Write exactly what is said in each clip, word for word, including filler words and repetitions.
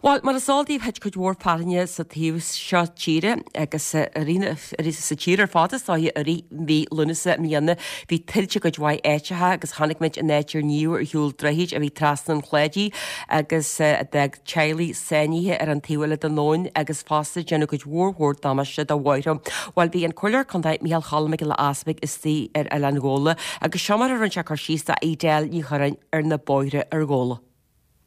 Well, mar is eol daoibh thit cuid mhór fearthainne sa taobh seo tíre agus sa tír ar fad is dóiche i rith mhí Lúnasa i mbliana. Bhí tuilte i gcuid mhaith áiteacha agus chonaic muid an áit ar níodh ar shiúl droichid a bhí trasna an Chladaigh agus a d'fhág teaghlaigh sáinnithe ar an taobh eile den abhainn agus fosta déanadh cuid mhór mhór damáiste do bhóithre. Bhuel, bhí an Comhairleoir Contae Micheál Cholm Mac Giolla Easpaig istigh ar Oileán Ghabhla agus seo mar a rinne sé cur síos do Edel Ní Churráin ar na bóithre ar Ghabhla.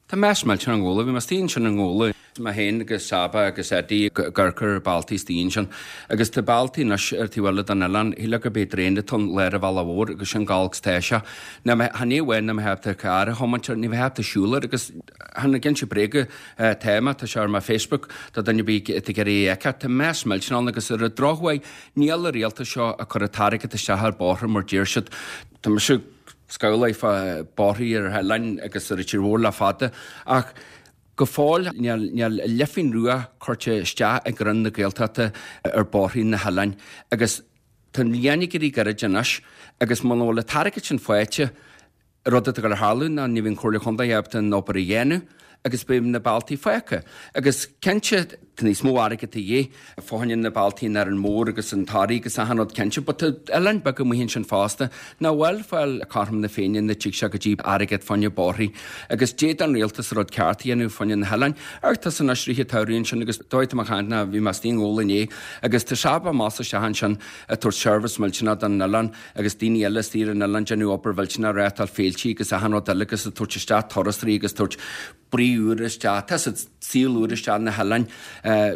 Tá mess millteanach i nGabhla, bhí mé istigh ansin i nGabhla, mé féin agus Saba agus Eddie ag amharc ar bealtaí istigh ansin agus tá bealtaí anois ar taobh eile den oileán, shílfeá gurb é draein atá ann lár an bhealaigh mhóir agus sin chomh holc is tá sé. Ná mé, chan é amháin nach mbeadh ábalta carr a thiomáint air, ní bheadh ábalta siúl air agus chan ag inse bréaga tá mé, tá sé ar mo Facebook do dhuine ar bith atá ag iarraidh é a fheiceáil, tá mess millteanach ann agus ar an drochuair níl an rialtas seo ag cur an t-airgead isteach ar bóithre mar deir siad. Tá mise scamhlaithe fá bóithrí ar oileáin agus ar an tír mhór le fada ach go fóill níl níl leifín rua curtha isteach ag Roinn na Gaeltachta ar bóithrí na hoileáin agus tá an bhliain ag éirí gairid anois agus muna bhfuil an t-airgead sin faighte rud atá ag dul a tharlú ná ní bheidh an Chomhairle Chontae ábalta an obair a dhéanamh agus beidh na bealtaí fágtha. Agus cinnte tá níos mó airgead a dhíth fá choinne na bealtaí in Árainn Mhór agus an Toraigh agus achan rud cinnte, but tá oileáin beaga amuigh ansin fosta nach bhfuil fáil cothrom na Féinne na dtig sé go dtí airgead fá choinne bóithrí agus d'fhéadfadh an rialtas rud ceart a dhéanamh fá choinne na hoileáin. Ach tá san anois rith an tsamhraidh ansin agus dóigh tá mé ag caint ná bhí mé istigh i nGabhla inné agus tá Saba amach isteach ansin ag tabhairt service millteanach don oileán agus daoine eile istigh ar an oileán déanamh obair mhillteanach reáchtáil féiltí agus achan rud eile agus ag tabhairt isteach turasóirí agus tabhairt brí úr isteach, tá siad saol úr isteach na hoileáin,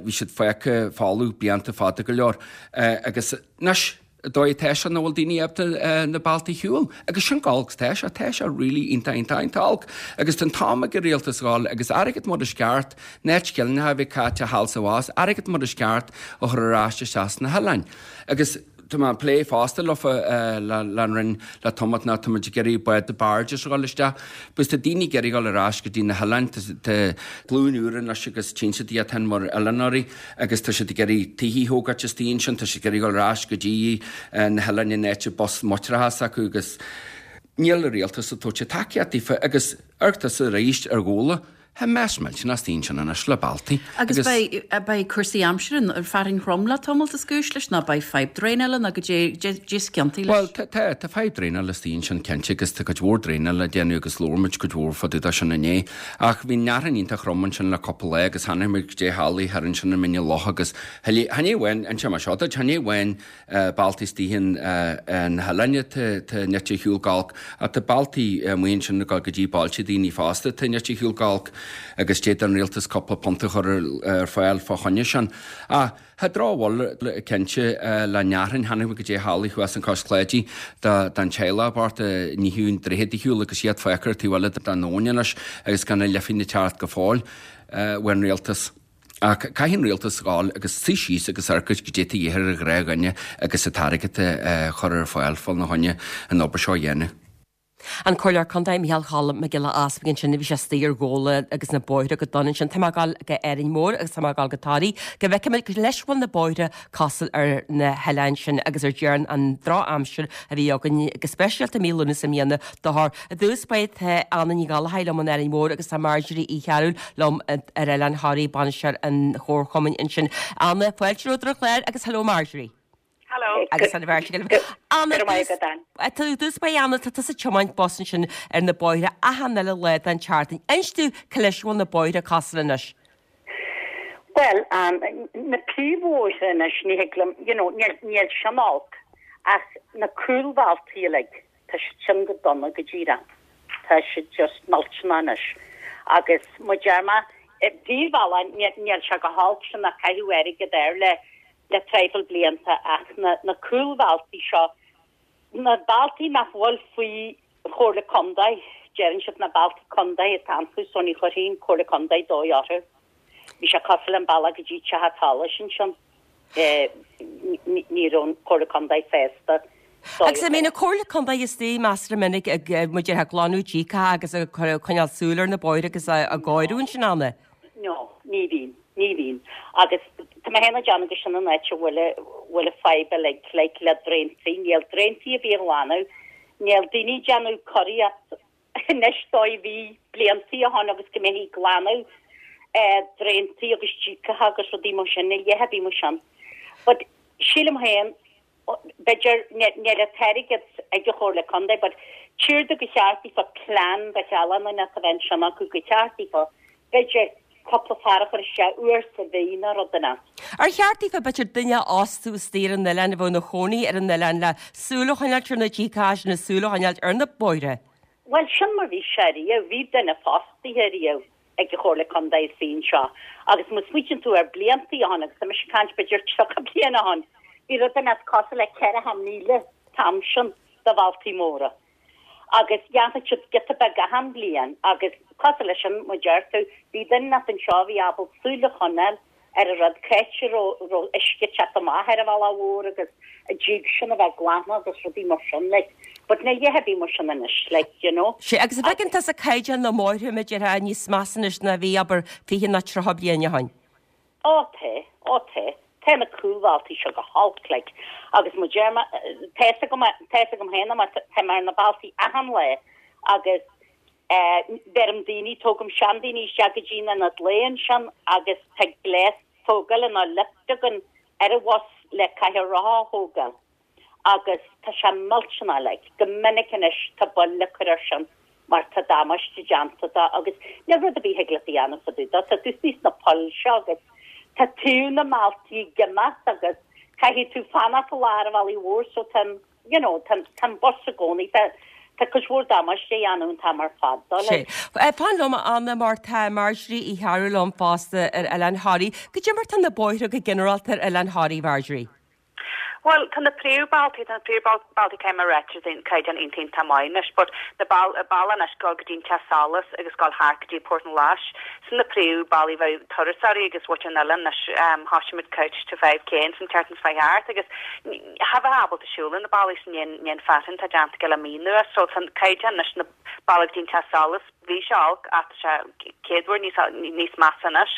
bhí siad fágtha folamh blianta fada go leor agus anois dóigh atá sé nach bhfuil daoine ábalta na bealtaí a shiúl agus sin chomh holc is tá sé, tá sé really iontach iontach iontach olc agus tá an t-am ag an rialtas dhul agus airgead mar is ceart, na scillingeacha a bhí caite thall is abhus, airgead mar is ceart a chur ar ais isteach sna hoileáin agus tá mé ag plé fosta leofa le an Roinn le tamalt ná tá muid ag iarraidh bád barges a dhul isteach. Because tá daoine ag iarraidh dhul ar ais go dtí na hoileáin, tá glúin úr anois agus tchíonn siad iad féin mar oileánóirí agus tá siad ag iarraidh tithe a thógáilt istigh ansin, tá siad ag iarraidh dhul ar ais go dtí na hoileáin in áit bus muinteartha s'acu agus níl an rialtas ag tabhairt tacaíocht daofa agus amharc tusa arís ar Ghabhla. Tá mess millteanach istigh ansin anois le bealtaí. Agus beidh beidh cúrsaí aimsire ar fearthainn throm le tamalt is cúis leis ná beidh fadhb draenála ná go dté dé sciontaí leis. Bhuel tá tá tá fadhb draenála istigh ansin cinnte agus tá cuid mhór draenála le déanamh agus labhair muid cuid mhór fá dtaobh de sin inné. Ach bhí an fhearthainn iontach throm ansin le cúpla lá agus chonaic muid goidé tharla thar ansin i Mín an Locha agus chan é amháin inseoidh mé seo duit chan é amháin bealtaí istigh in na hoileáin atá nite ar shiúl go holc ach tá bealtaí amuigh ansin ag dul go dtí bailte daoine fosta atá nite ar shiúl go holc agus d'fhéadfadh an rialtas cúpla punt a chur ar fáil fá choinne sin. Ach tá drochbhail cinnte le fearthainn chonaic muid goidé tharla thuas in Cois Cláidí don teaghlach bocht a níodh an droichead ar shiúl agus iad fágtha ar taobh eile den abhainn anois agus gan a leifinn ag teacht go fóill ón rialtas. Ach caithfidh an rialtas dhul agus suí síos agus amharc goidé atá de dhíth ar an ghnáthdhuine agus an t-airgead a chur ar fáil fá choinne an obair seo a dhéanamh. An Comhairleoir Contae Micheál Cholm Mac Giolla Easpaig ansin a bhí sé istigh ar Ghabhla agus na bóithre go dona ansin. Tá mé ag dul go Árainn Mhór agus tá mé ag dul go Toraigh go bhfeicfidh muid leis bhfuil na bóithre cosúil ar na hoileáin sin agus ar deireadh an drochaimsir a bhí againn go speisialta mí Lúnasa i mbliana dochar. I dtús báire tá Anna Ní Ghallchóir liom in Árainn Mhór agus tá Marjorie Uí Chearúil liom ar Oileán Thoraí, bainisteoir an Chomharchumainn ansin. Anna, fáilte romhat ar an chlár agus hello Marjorie. Hello. Agus an bheirt agaibh. Anna, Go raibh maith agat, Ann. I dtús báire Anna, tá tusa ag tiomáint bus ansin ar na bóithre achan uile lá den tseachtain. Inis domh cá leis a bhfuil na bóithre cosúil anois. Bhuel, Ann, na príomhbhóithre anois, ní thig liom, you know, níl, níl sin olc, ach na cúlbhealtaí uilig, tá siad sin go dona go díreach. Tá siad just millteanach anois. Agus mo dear mé, príomhbhealach, níl, níl sé go holc sin ach caitheadh airgead air le, le traidhfil blianta ach na, na cúlbhealtaí seo, na bealtaí nach bhfuil faoi Chomhairle Contae, deireann siad na bealtaí contae atá iontu so ní chuirfidh an Comhairle Contae dóigh orthu. Bhí sé cosúil an bealach go dtí Teach Solais ansin. Eh, ní ní raibh an Comhairle Contae sásta dóigh Agus an mbíonn an Comhairle Contae istigh measartha minic ag eh, muid ag glanadh díoca agus ag cur- coinneáil súil ar na bóithre agus a a gcóiriú ansin Anna. No, ní bhíonn, ní bhíonn. Agus tá mé féin ag déanamh go sin an áit a bhfuil a- bhfuil a fadhb uilig like le draentaí, níl draentaí ar bith a ghlanadh, níl daoine ag déanamh cóiríocht anois dóigh bhí bliantaí ó shin agus go mbeifí ag glanadh eh, draentaí agus díogacha agus rudaí mar sin, níl a dhath ar bith mar sin. But sílim féin, b'fhéidir níl an t-airgead ag an Chomhairle Contae, but tchítear domh gur cheart daofa plean do shealanna a bheith ansin acu gur cheart daofa, b'fhéidir cúpla fear a chur isteach uair sa mhí nó rud den sórt. Ar cheart daofa b'fhéidir duine a fhostú istigh ar an oileán a bheadh ina chónaí ar an oileán le súil a choinneáilt ar na díogacha sin, súil a choinneáilt ar na bóithre? Bhuel, sin mar bhí sé riamh, bhí duine fostaithe riamh ag an Chomhairle Contae istigh anseo agus má smaoitíonn tú ar bliantaí ó shin, agus tá mise ag caint b'fhéidir tríocha bliain ó shin, bhí rud inteacht cosúil le ceathracha míle an t-am sin de bhealtaí móra agus dhéanfadh siad giota beag achan bhliain agus cosúil leis sin, mar a deir tú, bhí duine inteacht anseo a bhí ábalta súil a choinneáil ar an rud, cá háit a raibh uisce ag teacht amach ar an bhealach mhór agus an díog sin a bheith glanta agus rudaí mar sin, like. But níl a dhath ar bith mar sin anois, like, you know. Sea, agus an bhfeiceann tusa caighdeán na mbóithre, mar a déarfá, níos measa anois ná a bhí, abair, fiche nó tríocha bliain ó shin? Ó tá, ó tá. Tá na cúlbhealtaí seo go holc, like. Agus mar a deir mé, tá fhios agam, tá fhios agam féin mar tá mé ar na bealtaí achan lá agus eh, bheirim daoine, tógaim seandaoine isteach go dtí an ionad lae ansin agus tá gléas tógála nó lift againn ar an bhus le cathaoir rotha a thógáil agus tá sé millteanach like, go minic anois tá buille le cur air sin mar tá damáiste déanta dó agus níl rud ar bith a thig leat a dhéanamh fá dtaobh dó, tá tú istigh sna poill seo agus tá taobh na mbealtaí ag imeacht agus caithfidh tú fanacht i lár an bhealaigh mhóir so tá an you know tá tá an bus i gcónaí tá tá cuid mhór damáiste á dhéanamh an t-am ar fad dó Sé. like. Fan liom a Anna mar tá Marjorie Uí Chearúil liom fosta ar Oileán Thoraí. Goidé mar tá na bóithre go ginearálta ar Oileán Thoraí, Marjorie? Bhuel, tá na príomhbhealtaí, tá na príomhbhealtaí caithfidh mé a ráit, tá an caighdeán iontach iontach maith anois, but na beal, bealach anois dul go dtí an Teach Solais agus dul thart go dtí Port na Lais, sin na príomhbhealaí bheadh turasóirí agus mhuintir an oileáin anois, um, thoisigh muid Couch to five K an tseachtain seo chuaigh thart agus cha bheifeá ábalta siúl ar na bealaí sin i ndiaidh an fearthainn atá déanta aige le mí anuas, so tá an caighdeán anois na bealach go dtí an Teach Solais, bhí sé olc ach tá sé céad uair níos níos measa anois.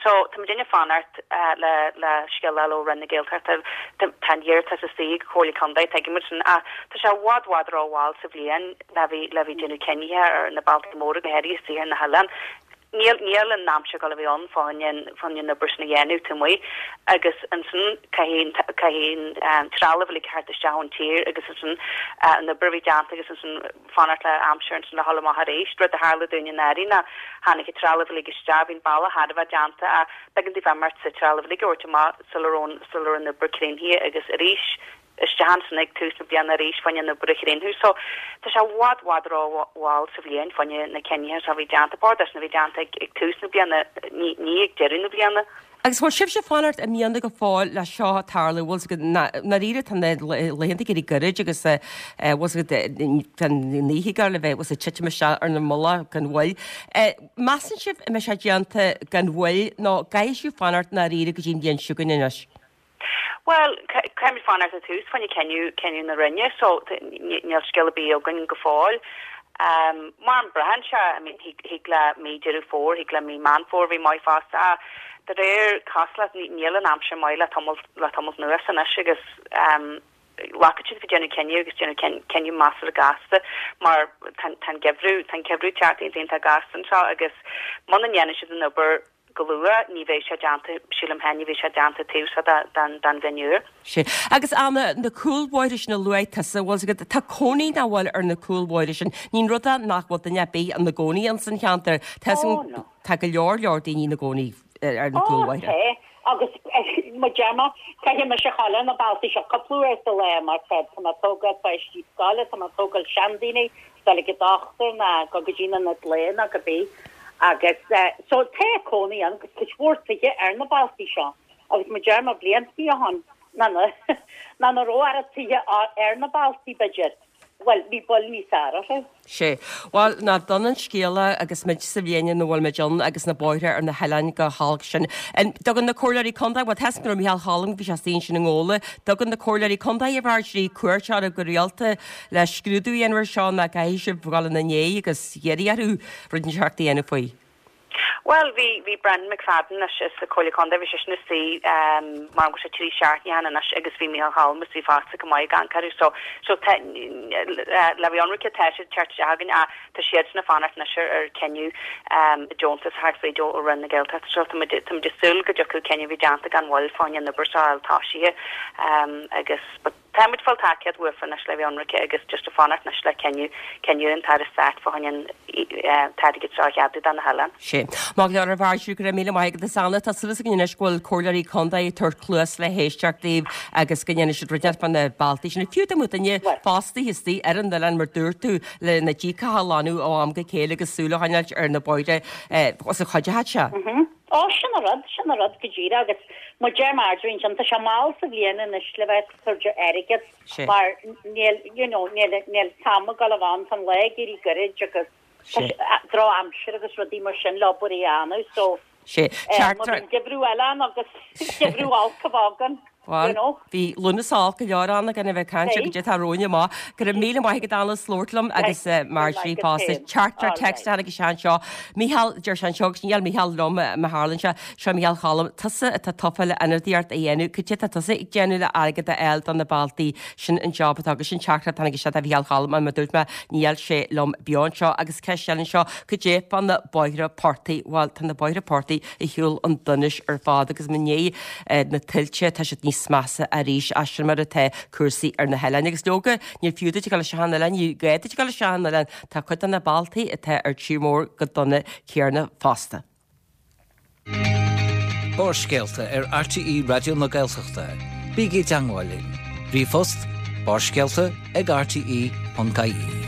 So tá muidinne ag fanacht le le scéal a fháil ó Roinn na Gaeltachta. Tá an iarratas istigh ag Comhairle Contae, tuigimid sin ach tá sé i bhfad bhfad rómhall sa bhliain le bheith le bheith déanamh cinnithe ar na bealtaí móra go háirithe istigh ar na hoileáin. Níl níl an aimsir ag dul a bheith ann fá choinne fá choinne an obair sin a dhéanamh taobh amuigh agus ansin caithfidh caithfidh an trealamh uilig theacht isteach ón tír agus ansin an obair a bheith déanta agus ansin fanacht le aimsir ansin le dhul amach arís. Rud a tharla dúinn anuraidh ná tháinig an trealamh uilig isteach, bhí an bealach thar a bheith déanta ach b'éigean daofa imeacht sa trealamh uilig a thabhairt amach sula raibh sula raibh an obair críochnaithe agus arís isteach ansin ag tús na bliana arís fá choinne an obair a chríochnú. So tá sé i bhfad bhfad rómhall sa bhliain fá choinne na cinnithe seo a bhí déanta, ba chóir sin a bheith déanta ag ag tús na bliana, ní ní ag deireadh na bliana. Agus bhfuil sibhse ag fanacht i mbliana go fóill le seo a tarlú, bhfuil 's agat, ndáiríre tá na laethanta ag éirí gairid agus bhfuil 's agat tá an oíche ag gabháil a bheith, bhfuil 's ag titim isteach ar na mullaigh gan mhoill. Measann sibh an mbeidh sé déanta gan mhoill nó gcaithfidh sibh fanacht ndáiríre go dtí an bhliain seo chugainn anois? Bhuel, caithfimid fanacht ar tús fá choinne cinneadh, cinneadh na Roinne so níl scéal ar bith againn go fóill. Mar a braitheann sé, I mean, thig le mí Deireadh Fómhair, thig le mí Meán Fómhair bheith maith fosta ach de réir cosúlacht níl an aimsir maith le tamall, le tamall anuas anois agus glacfaidh siad faoi déanamh cinneadh agus déanamh cinneadh measartha gasta mar tá an geimhreadh, tá an geimhreadh ag teacht iontach iontach gasta anseo agus muna ndéanann siad an obair go luath, ní bheidh sé déanta, sílim féin, ní bheidh sé déanta taobh seo den bhliain úr. Sea. Agus Anna, na cúlbhóithre sin a luaigh tusa, bhfuil 's agat, tá cónaí nach bhfuil ar na cúlbhóithre sin. Ní an rud é nach bhfuil duine ar bith ina gcónaí ins an cheantar. Tá Oh, no. Tá go leor leor daoine ina gcónaí ar na Oh, cúlbhóithre. tá. Agus mar a deir mé, caithfidh mise a ghabháil ar na bealtaí seo cúpla uair sa lá mar tá mé ag tógáil páistí scoile, tá mé ag tógáil seandaoine, dul ag an dochtúir ná go go dtí an ionad lae ná cibé. Agus so tá cónaí ann agus cuid mhór tithe ar na bealtaí seo agus mar a deir mé bliantaí ó shin ná na ná na raibh oiread tithe ar na bealtaí b'fhéidir, bhuel bhí bail níos fearr orthu. Sea. Bhuel, nach dona an scéal é agus muid sa bhliain ina bhfuil muid ann agus na bóithre ar na hoileáin chomh holc sin. Dtugann na comhairleoirí contae, bhuel tá 's agam go raibh Micheál Choilm, bhí sé istigh ansin i nGabhla, dtugann na comhairleoirí contae a Mharjorie cuairt oraibh go rialta le scrúdú a dhéanamh ar seo nó caithfidh sibh dhul ina ndiaidh agus iarraidh orthu rud inteacht a dhéanamh faoi. Well, bhí bhí Brendan McFadden anois sa Chomhairle Contae, bhí seisean istigh mar go sé trí seachtaine cheana anois agus bhí Micheál Cholm istigh fosta go maith ag amharc orthu so so tá le bheith ionraice tá siad teacht isteach againn ach tá siadsan ag fanacht anois ar ar cinneadh deontas a theacht fríd ó Roinn na Gaeltachta so tá muid tá muid ag súil go dtiocfaidh cinneadh a bhí déanta gan mhoill fá choinne an obair seo a fháil tosaithe agus but Tá muid ag fáil tacaíocht uafa anois le bheith ionraice agus just ag fanacht anois le cinneadh, cinneadh an tAire Stáit fá choinne an t-airgead seo a cheadú do na hoileáin. Sé. Maith go leor a Mharjorie, go raibh míle maith agat as Anna. Tá súil againn anois go bhfuil comhairleoirí contae ag tabhairt cluas le héisteacht daoibh agus go ndéanfaidh siad rud inteacht fá na bealtaí sin. Fiú dá mbeadh duine fostaithe istigh ar an oileán mar dúirt tú le na díocacha a ghlanadh ó am go chéile agus súil a choinneáilt ar na bóithre os a chuideochadh sé. Ó, sin an rud, sin an rud go díreach agus mar deir Marjorie ansin, tá sé mall sa bhliain anois le bheith ag tabhairt airgead mar níl, you know, níl, níl t-am ag dul a bheith ann, tá an lá ag éirí goirid agus tá sé, drochaimsir agus rudaí mar sin le obair a dhéanamh so má bhíonn geimhreadh eile ann agus geimhreadh olc a bheith againn. Bhuel, you know. bhí Lúnasa olc go leor ann gan a bheith ag caint ar goidé atá romhainn amach. Go raibh míle maith agat Anna as labhairt liom agus Marjorie fosta. Teachtaireacht téacs a tháinig isteach anseo. Mícheál, deir sé anseo, agus níl Mícheál liom má tharlaíonn sé, seo Mícheál Cholm, tusa atá tofa le ionadaíocht a dhéanamh, cad é atá tusa ag déanamh le airgead a fháil do na bealtaí sin an job atá agat sin teachtaireacht a tháinig isteach do Mhícheál Cholm mar dúirt mé níl sé liom beo anseo agus ceist eile anseo, cad é fá na bóithre portaigh? Bhuel, tá na bóithre portaigh ar shiúl chun donais ar fad agus i ndiaidh na tuilte, tá siad níos measa arís as sin mar atá cúrsaí ar na hoileáin. Agus leoga, níor fiú duit a dhul isteach an oileán, ní gá duit a dhul isteach an oileán, tá cuid de na bealtaí atá ar tír mór go dona céanna fosta. Barrscéalta ar RTÉ Raidió na Gaeltachta. Bígí i dteagmháil linn. Ríomhphost barrscéalta ag rte.ie.